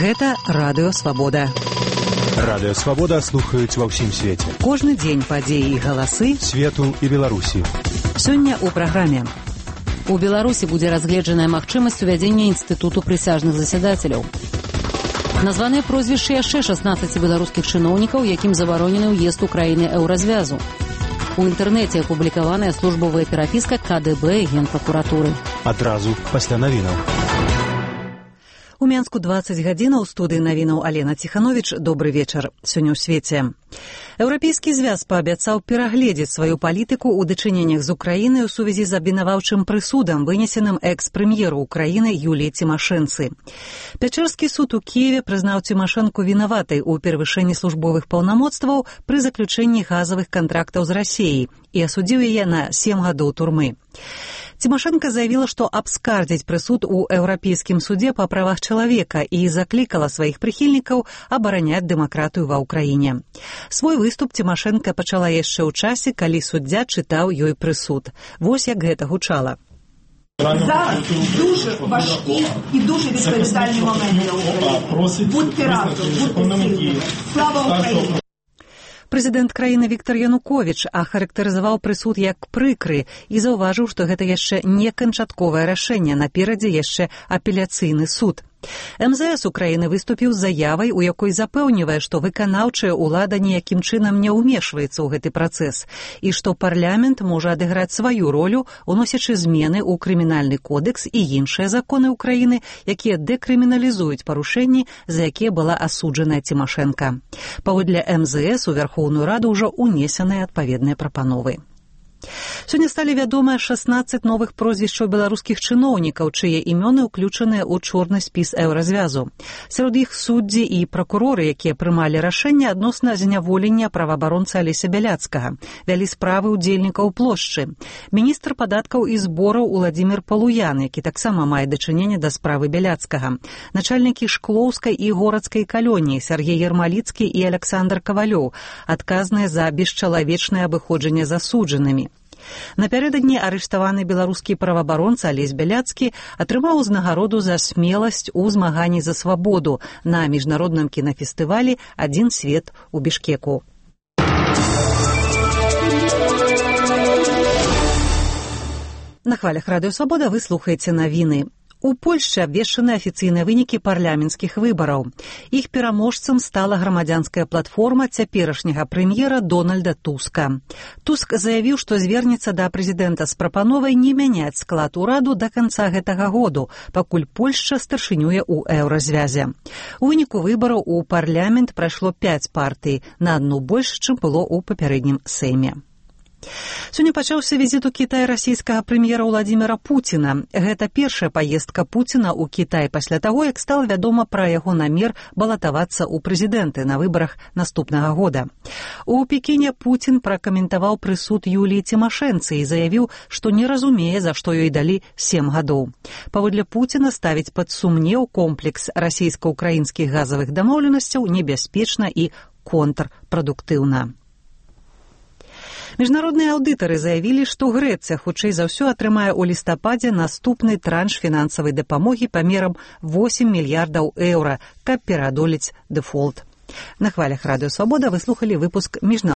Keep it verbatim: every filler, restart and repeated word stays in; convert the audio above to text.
Гэта Радыё Свабода. Радыё Свабода слухаюць ва ўсім свеце. Кожны дзень падзеі і галасы свету і Беларусі. Сёння ў праграме. У Беларусі будзе разгледжаная магчымасць увядзення інстытуту прысяжных засядацеляў. Названыя прозвішчы яшчэ шаснаццаці беларускіх чыноўнікаў, якім забаронены ўезд у краіны еўразвязу. У інтэрнэце апублікаваная службовая перапіска ка дэ бэ і Генпракуратуры. Адразу пасля навінаў. У Менску дваццаць гадзін, у студыі навінаў Алена Ціхановіч. Добры вечар. Сёння ў свеце. Еўрапейскі звяз паабяцаў перагледзець сваю палітыку ў дачыненнях з Украінай у сувязі з абвінаваўчым прысудам, вынесеным экс-прэм'еру Украіны Юліі Цімашэнцы. Пячэрскі суд у Кіеве прызнаў Цімашэнку вінаватай у перавышэнні службовых паўнамоцтваў пры заключэнні газавых кантрактаў з Расіяй і асудзіў яе на сем гадоў турмы. Цімашэнка заявіла, што абскардзіць прысуд у Еўрапейскім судзе па правах чалавека і заклікала сваіх прыхільнікаў абараняць дэмакратыю ва ўкраіне. Свой выступ Цімашэнка пачала яшчэ ў часе, калі суддзя чытаў ёй прысуд. Вось як гэта гучала. Зараз дуже важкі і дуже відповідальні моменти на Україні. Будьте разом, будьте сильні. Слава Україні! Прэзідэнт краіны Віктар Януковіч ахарактарызаваў прысуд як прыкры і заўважыў, што гэта яшчэ не канчатковае рашэнне, наперадзе яшчэ апеляцыйны суд. эм зэ эс Украіны выступіў з заявай, у якой запэўнівае, што выканаўчая ўлада ніякім чынам не ўмешваецца ў гэты працэс і што парламент можа адыграць сваю ролю, уносячы змены ў крымінальны кодекс і іншыя законы ўкраіны, якія дэкрыміналізуюць парушэнні, за якія была асуджаная Цімашэнка. Паводле эм зэ эс у Вярхоўную Раду ўжо ўнесеныя адпаведныя прапановы. Сёння сталі вядомыя шаснаццаць новых прозвішчаў беларускіх чыноўнікаў, чые імёны ўключаныя ў чорны спіс еўразвязу. Сярод іх суддзі і пракуроры, якія прымалі рашэнне адносна зняволення праваабаронцы Алеся Бяляцкага, вялі справы ўдзельнікаў плошчы. Міністр падаткаў і збораў Уладзімір Палуян, які таксама мае дачыненне да справы Бяляцкага. Начальнікі Шклоўскай і Горацкай калоніі Сергей Ермаліцкі і Александр Кавалёў, адказныя за бесчалавечнае абыходжанне з асуджанымі. Напярэдадні арыштаваны беларускі праваабаронца Алесь Бяляцкі атрымаў узнагароду за смеласць у змаганні за свабоду на міжнародным кінафестывалі «Адзін свет» у Бішкеку. На хвалях Радыё Свабода вы слухаеце навіны. У Польшчы абвешчаны афіцыйныя вынікі парламенцкіх выбараў. Іх пераможцам стала грамадзянская платформа цяперашняга прэм'ера Дональда Туска. Туск заявіў, што звернецца да прэзідэнта з прапановай не мяняць склад ураду да канца гэтага году, пакуль Польшча старшынюе ў еўразвязе. У выніку выбараў у парламент прайшло пяць партый, на адну больш, чым было ў папярэднім сейме. Сёння пачаўся візіт у Кітай расійскага прэм'ера Уладзіміра Пуціна. Гэта першая паездка Пуціна ў Кітай пасля таго, як стала вядома пра яго намер балатавацца ў прэзідэнты на выбарах наступнага года. У Пекіне Пуцін пракаментаваў прысуд Юліі Цімашэнцы і заявіў, што не разумее, за што ёй далі сем гадоў. Паводле Пуціна ставіць пад сумнеў комплекс расійска-ўкраінскіх газавых дамоўленасцяў небяспечна і контрпрадуктыўна. Міжнародныя аўдытары заявілі, што Грэцыя хутчэй за ўсё атрымае ў лістападзе наступны транш фінансавай дапамогі памерам восем мільярдаў еўра, каб пераадолець дэфолт. На хвалях Радыё Свабода вы слухалі выпуск міжнародных